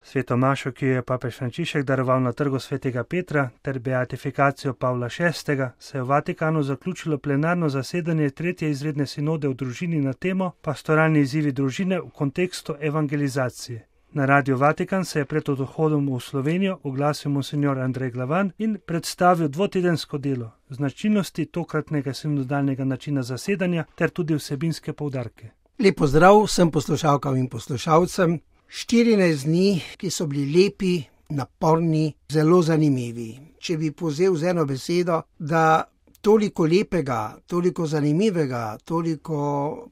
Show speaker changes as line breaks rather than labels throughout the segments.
Sveto mašo, ki jo je papež Frančišek daroval na trgu svetega Petra, ter beatifikacijo Pavla VI, se je v Vatikanu zaključilo plenarno zasedanje tretje izredne sinode v družini na temo Pastoralni izzivi družine v kontekstu evangelizacije. Na Radio Vatikan se je pred odhodom v Slovenijo oglasil monsignor Andrej Glavan in predstavil dvotedensko delo, značilnosti tokratnega sinodalnega načina zasedanja ter tudi vsebinske poudarke.
Lep pozdrav vsem poslušalkam in poslušalcem. 14 dni, ki so bili lepi, naporni, zelo zanimivi. Če bi povzel z eno besedo, da toliko lepega, toliko zanimivega, toliko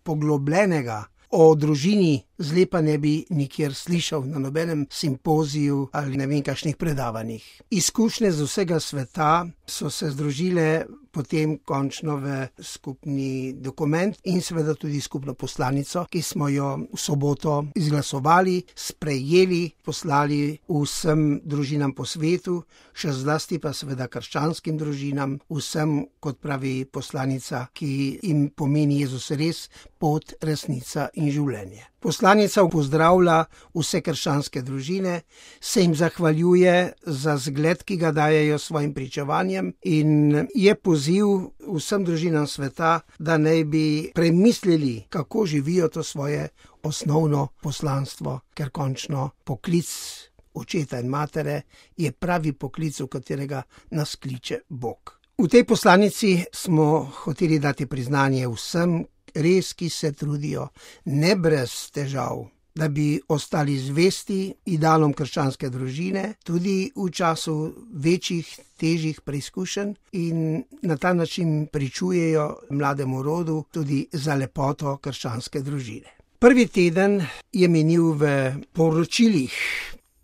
poglobljenega o družini zlepa ne bi nikjer slišal na nobenem simpoziju ali ne vem kakšnih predavanjih. Izkušnje z vsega sveta so se združile potem končno v skupni dokument in seveda tudi skupno poslanico, ki smo jo v soboto izglasovali, sprejeli, poslali vsem družinam po svetu, še zlasti pa seveda krščanskim družinam, vsem, kot pravi poslanica, ki jim pomeni Jezus res, pot, resnica in življenje. Poslanica pozdravlja vse krščanske družine, se jim zahvaljuje za zgled, ki ga dajejo svojim pričevanjem in je poziv vsem družinam sveta, da naj bi premislili, kako živijo to svoje osnovno poslanstvo, ker končno poklic očeta in matere je pravi poklic, v katerega nas kliče Bog. V tej poslanici smo hoteli dati priznanje vsem, res, ki se trudijo, ne brez težav, da bi ostali zvesti idealom krščanske družine, tudi v času večjih, težjih preizkušenj in na ta način pričujejo mlademu rodu tudi za lepoto krščanske družine. Prvi teden je minil v poročilih.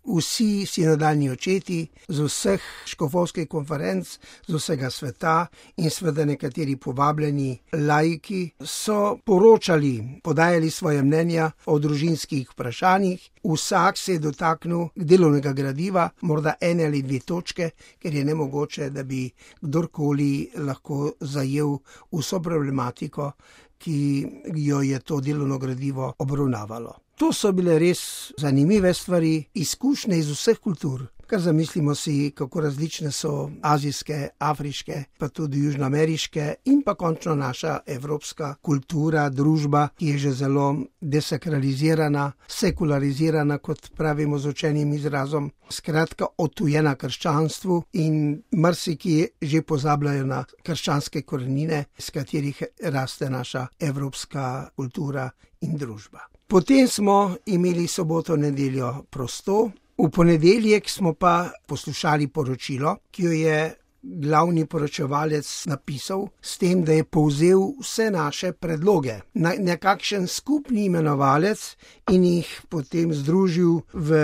Vsi sinodalni očeti z vseh škofovskih konferenc, z vsega sveta in seveda nekateri povabljeni laiki so poročali, podajali svoje mnenja o družinskih vprašanjih. Vsak se je dotaknil delovnega gradiva, morda ene ali dve točke, ker je nemogoče, da bi kdorkoli lahko zajel vso problematiko, ki jo je to delovno gradivo obravnavalo. To so bile res zanimive stvari, izkušnje iz vseh kultur. Kar zamislimo si, kako različne so azijske, afriške, pa tudi južnoameriške in pa končno naša evropska kultura, družba, ki je že zelo desakralizirana, sekularizirana, kot pravimo z učenim izrazom, skratka odtujena krščanstvu in marsikje že pozabljajo na krščanske korenine, s katerih raste naša evropska kultura in družba. Potem smo imeli soboto, nedeljo prosto. V ponedeljek smo pa poslušali poročilo, ki jo je glavni poročevalec napisal s tem, da je povzel vse naše predloge na nekakšen skupni imenovalec in jih potem združil v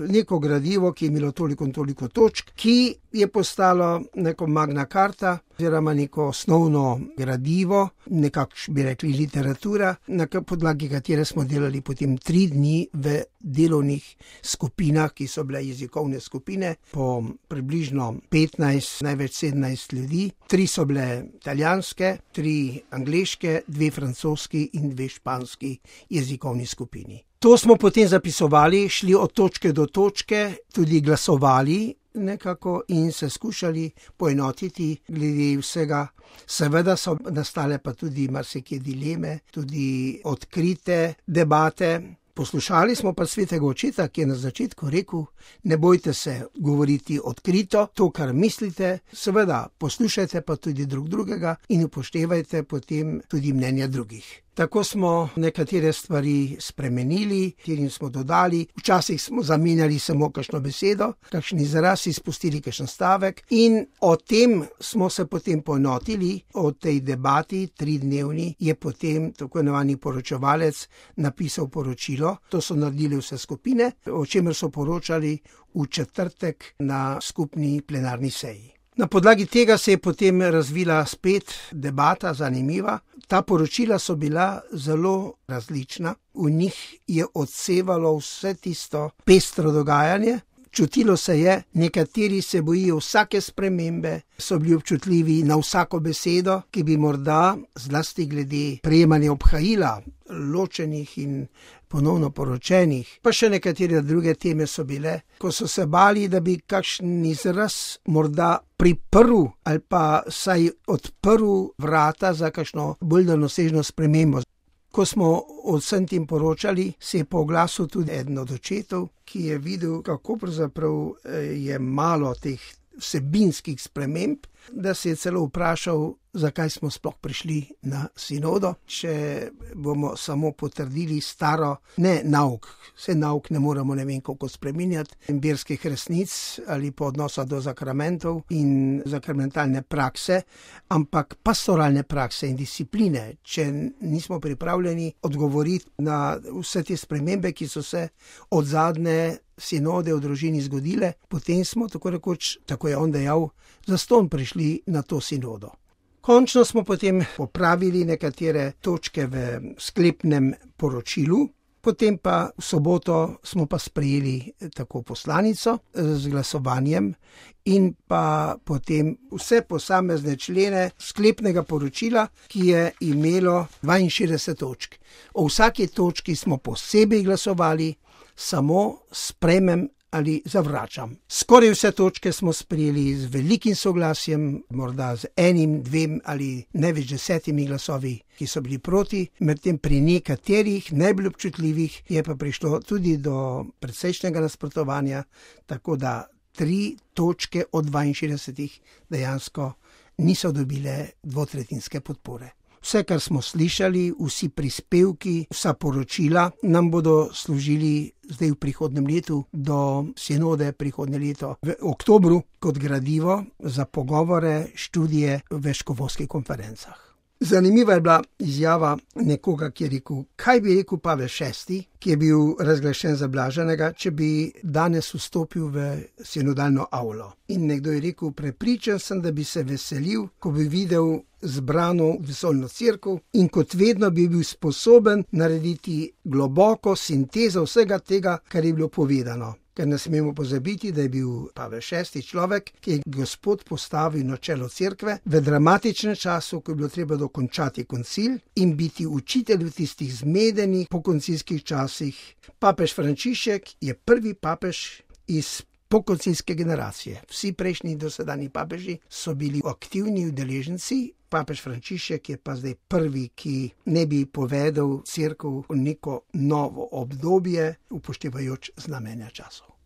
neko gradivo, ki je imelo toliko in toliko točk, ki je postalo neko magna carta oziroma neko osnovno gradivo, nekako bi rekli literatura, na podlagi katere smo delali potem 3 dni v delovnih skupinah, ki so bile jezikovne skupine, po približno 15, največ 17 ljudi. 3 so bile italijanske, 3 angleške, 2 francoski in 2 španski jezikovni skupini. To smo potem zapisovali, šli od točke do točke, tudi glasovali nekako in se skušali poenotiti glede vsega. Seveda so nastale pa tudi marsikje dileme, tudi odkrite debate. Poslušali smo pa svetega očeta, ki je na začetku rekel, ne bojte se govoriti odkrito, to, kar mislite, seveda poslušajte pa tudi drug drugega in upoštevajte potem tudi mnenja drugih. Tako smo nekatere stvari spremenili, katerim smo dodali, včasih smo zamenjali samo kakšno besedo, kakšen izraz, izpustili kakšen stavek in o tem smo se potem poenotili, o tej debati 3-dnevni je potem tako imenovani poročevalec napisal poročilo. To so naredili vse skupine, o čemer so poročali v četrtek na skupni plenarni seji. Na podlagi tega se je potem razvila spet debata, zanimiva. Ta poročila so bila zelo različna. V njih je odsevalo vse tisto pestro dogajanje, Čutilo se je, nekateri se bojijo vsake spremembe, so bili občutljivi na vsako besedo, ki bi morda, zlasti glede prejemanja obhajila, ločenih in ponovno poročenih, pa še nekatere druge teme so bile, ko so se bali, da bi kakšen izraz morda priprl ali pa saj odprl vrata za kakšno bolj daljnosežno spremembo. Ko smo o vsem tem poročali, se je po oglasu tudi eden od očetov, ki je videl, kako pravzaprav je malo teh vsebinskih sprememb, da se je celo vprašal, zakaj smo sploh prišli na sinodo, če bomo samo potrdili staro, ne nauk, vse nauk ne moremo ne vem koliko spreminjati, verskih resnic ali pa odnosa do zakramentov in zakramentalne prakse, ampak pastoralne prakse in discipline, če nismo pripravljeni odgovoriti na vse te spremembe, ki so se od zadnje sinode v družini zgodile, potem smo tako rekoč, tako je on dejal, zastonj prišli na to sinodo. Končno smo potem popravili nekatere točke v sklepnem poročilu, potem pa v soboto smo pa sprejeli tako poslanico z glasovanjem in pa potem vse posamezne člene sklepnega poročila, ki je imelo 62 točk. O vsaki točki smo posebej glasovali, samo sprejmem ali zavračam. Skoraj vse točke smo sprejeli z velikim soglasjem, morda z enim, dvem ali največ 10 glasovi, ki so bili proti, medtem pri nekaterih najbolj občutljivih je pa prišlo tudi do precejšnjega nasprotovanja, tako da 3 točke od 62 dejansko niso dobile dvotretjinske podpore. Vse, kar smo slišali, vsi prispevki, vsa poročila nam bodo služili zdaj v prihodnem letu do sinode prihodnje leto v oktobru kot gradivo za pogovore, študije v škofovskih konferencah. Zanimiva je bila izjava nekoga, ki je rekel, kaj bi rekel Pavel VI, ki je bil razglašen za blaženega, če bi danes vstopil v sinodalno avlo. In nekdo je rekel, prepričan sem, da bi se veselil, ko bi videl zbrano vesoljno cerkev in kot vedno bi bil sposoben narediti globoko sintezo vsega tega, kar je bilo povedano. Ker ne smemo pozabiti, da je bil Pavel VI človek, ki je Gospod postavil na čelo cerkve v dramatičnem času, ko je bilo treba dokončati koncil in biti učitelj v tistih zmedenih pokoncilskih časih. Papež Frančišek je prvi papež iz pokoncilske generacije. Vsi prejšnji dosedanji papeži so bili aktivni udeleženci. Papež Frančišek je pa zdaj prvi, ki ne bi povedal cerkev v neko novo obdobje, upoštevajoč znamenja časov.